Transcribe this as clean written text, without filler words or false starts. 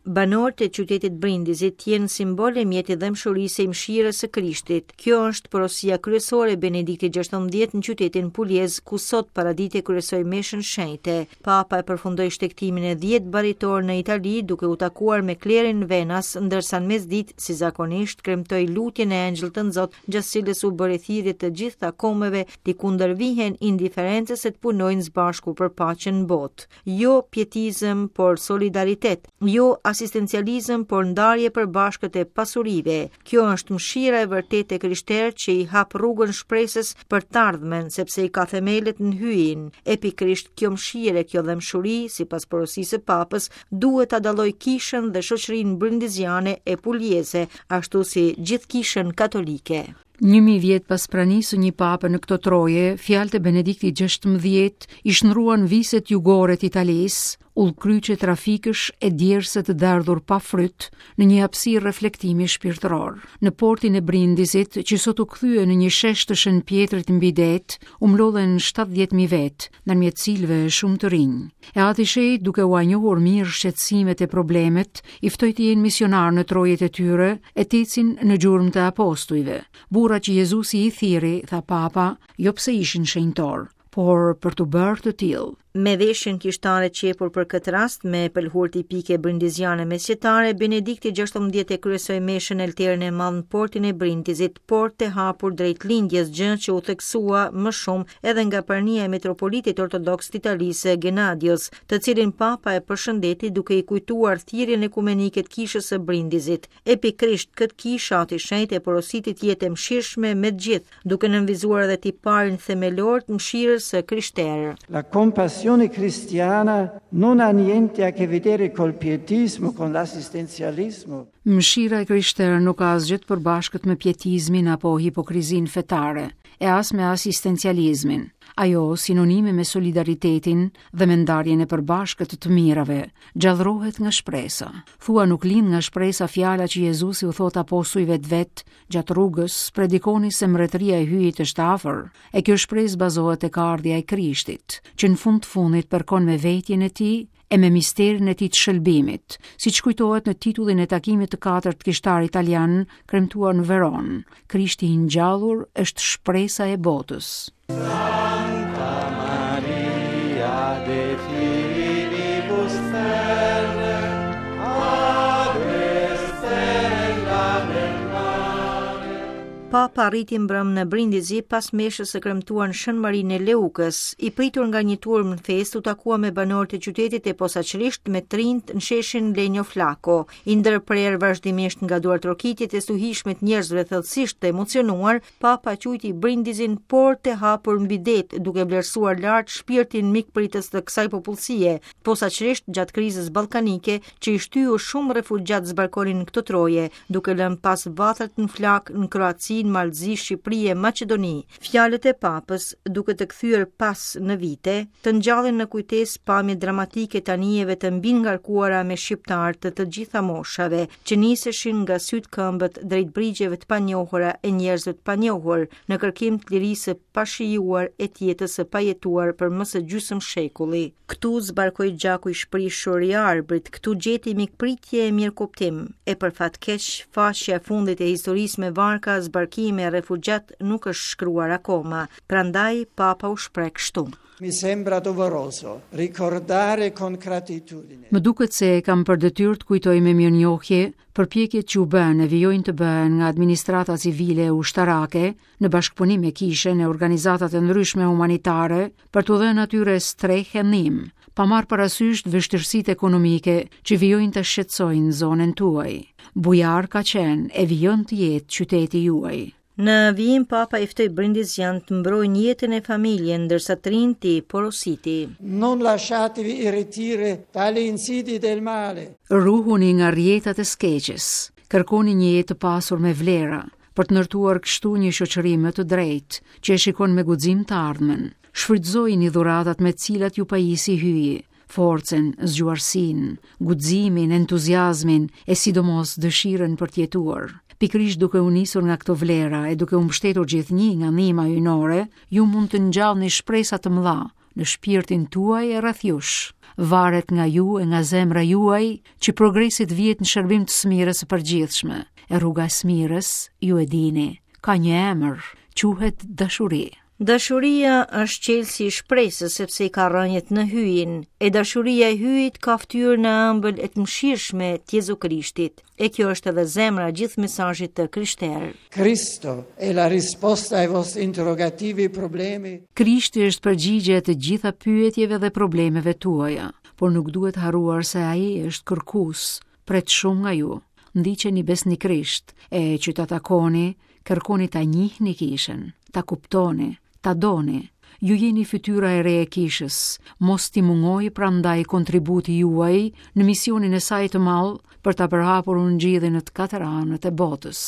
Banorët e qytetit Brindizit të jenë simbol e mjet i dhembshurisë e i mëshirës së Krishtit. Kjo është porosia kryesore e Benediktit XVI në qytetin Puljez, ku sot paradite kryesoi meshën shenjte. Papa e përfundoi shtegtimin e 10 baritor në Itali duke u takuar me klerin venas, ndërsa në mesditë, si zakonisht, kremtoi lutjen e Engjëllit Tënzot gjatë cilës u bëri thirrje të gjitha kombeve t'i kundërvihen indiferencës e të punojnë së bashku për paqen në botë. Jo pietizëm, por solidaritet, jo asistencializëm, por ndarje e përbashkët e pasurive. Kjo është mëshira e vërtetë e krishterë që i hap rrugën shpresës për të ardhmen, sepse i ka themelet në Hyjin. E pikërisht kjo mëshirë e kjo dhembshuri, sipas porosisë së Papës, duhet ta dallojë kishën dhe shoqërinë brindiziane e puljeze, ashtu si gjithë kishën katolike. 1000 vjet pas pranisë së një pape në këto troje, fjalët e Benediktit XVI i shndërruan viset jugore të Italisë, udhëkryqe trafikësh e djerse të derdhur pa fryt në një hapësirë reflektimi shpirtëror. Në portin e Brindizit, që sot u kthye në një shesh të Shën Pjetrit mbi det, u mblodhen 70.000 vetë, ndërmjet cilëve shumë të rinj. E Ati i Shenjtë, duke ua njohur mirë shqetësimet e problemet, i ftoi të jenë misionarë në trojet e tyre e të ecin në gjurmë të apostujve. Burra që Jezusi i thirri, tha Papa, jo pse ishin shenjtorë, por për t'u bërë të tillë. Me veshjen kishtare qepur për këtë rast, me pëlhurë tipike brindiziane mesjetare, Benedikti XVI e kryesoi meshën në oltarin e madh në portin e Brindizit, portë e hapur drejt lindjes, gjë që u theksua më shumë edhe nga prania e metropolitit ortodoks të Italisë Gennadios, të cilin Papa e përshëndeti duke i kujtuar thirrjen ekumenike të kishës së Brindizit. E pikërisht këtë kishë Ati i Shenjtë e porositi të jetë e mëshirshme me të gjithë, duke nënvizuar edhe tiparin themelor të mëshirës së krishterë. La compassione cristiana non ha niente a che vedere col pietismo, con l'assistenzialismo. Mëshira e krishterë nuk ka asgjë të përbashkët me pietizmin apo hipokrizinë fetare, e as me asistencializmin. Ajo, sinonime me solidaritetin dhe me ndarjen e përbashkët të të mirave, gjallërohet nga shpresa. Thua nuk lind nga shpresa fjala që Jezusi u thotë apostujve të vet gjatë rrugës, predikoni se mbretëria e Hyjit është afër. E kjo shpresë bazohet tek ardhja e Krishtit, që në fund të fundit përkon me vetjen e tij e me misterin e tij të shëlbimit, siç kujtohet në titullin e takimit të katërt kishtar italian, kremtuar në Veronë, Krishti i ngjallur është shpresa e botës. Santa Maria de Filibus Terre, Ave stella nel mare. Papa arriti mbrëmë në Brindisi pas meshës së kremtuar në Shën Marinë e Leukës. I pritur nga një turmë në festë, u takua me banorët e qytetit e posaçërisht me të rinjtë në sheshin Lenio Flako. I ndërprerë vazhdimisht nga duartrokitjet e stuhishme të njerëzve thellësisht të emocionuar, Papa quajti Brindizin portë e hapur mbi det, duke vlerësuar lart shpirtin mikpritës të kësaj popullsie, posaçërisht gjatë krizës ballkanike që i shtyu shumë refugjatë zbarkonin në këto troje, duke lënë pas vatrat në flakë në Kroaci, në Mal të Zi, Shqipëri e Maqedoni. Fjalët e Papës, duke të kthyer pas në vite, të ngjallin në kujtesë pamje dramatike të anijeve të mbingarkuara me shqiptarë të të gjitha moshave, që niseshin nga sytë këmbët drejt brigjeve të panjohura e njerëzve të panjohur, në kërkim të lirisë së pashijuar e të jetës së pajetuar për më se gjysmë shekulli. Këtu zbarkoi gjaku i shprishur i Arbrit, këtu gjeti mikpritje e mirëkuptim, e për fat keq, faqja e fundit e historisë me varka, zbarkime e refugjatë nuk është shkruar akoma, prandaj Papa u shpreh kështu. Mi sembra doveroso ricordare con gratitudine. Më duket se e kam për detyrë të kujtoj me mirënjohje përpjekjet që u bënë e vijojnë të bëhen nga administrata civile e ushtarake në bashkëpunim me kishën e organizatat e ndryshme humanitare për t'u dhënë atyre strehë e ndihmë, pa marrë parasysh vështirësitë ekonomike që vijojnë të shqetësojnë zonën tuaj. Bujar ka qenë e vijon të jetë qyteti juaj. Në vijim Papa i ftoi brindizianët të mbrojnë jetën e familjen, ndërsa të rinjtë i porositi. Non lasciatevi irretire dalle insidie del male. Ruhuni nga rrjetat e së keqes. Kërkoni një jetë të pasur me vlera, për të ndërtuar kështu një shoqëri më të drejtë, që e shikon me guxim të ardhmen. Shfrytëzojini dhuratat me të cilat ju pajisi Hyji, forcën, zgjuarsinë, guximin, entuziazmin e sidomos dëshirën për të jetuar. Pikërisht duke u nisur nga këto vlera e duke u mbështetur gjithnjë nga ndihma hyjnore, ju mund të ngjallni shpresa të mëdha në shpirtin tuaj e rreth jush. Varet nga ju e nga zemra juaj që progresi të vihet në shërbim të së mirës së përgjithshme. E rruga e së mirës, ju e dini, ka një emër, quhet dashuri. Dashuria është çelësi i shpresës sepse i ka rrënjët në Hyjin, e dashuria e Hyjit ka fytyrën e ëmbël e të mëshirshme të Jezu Krishtit. E kjo është edhe zemra e gjithë mesazhit të krishterë. Cristo è la risposta ai vostri interrogativi e problemi. Krishti është përgjigja e të gjitha pyetjeve dhe problemeve tuaja, por nuk duhet harruar se ai është kërkues, pret shumë nga ju. Ndiqeni besnikërisht e që ta takoni, kërkoni ta njihni kishën, ta kuptoni, ta doni. Ju jeni fytyra e re e kishës, mos t'i mungojë prandaj kontributi juaj në misionin e saj të madh për ta përhapur ungjillin në të katër anët e botës.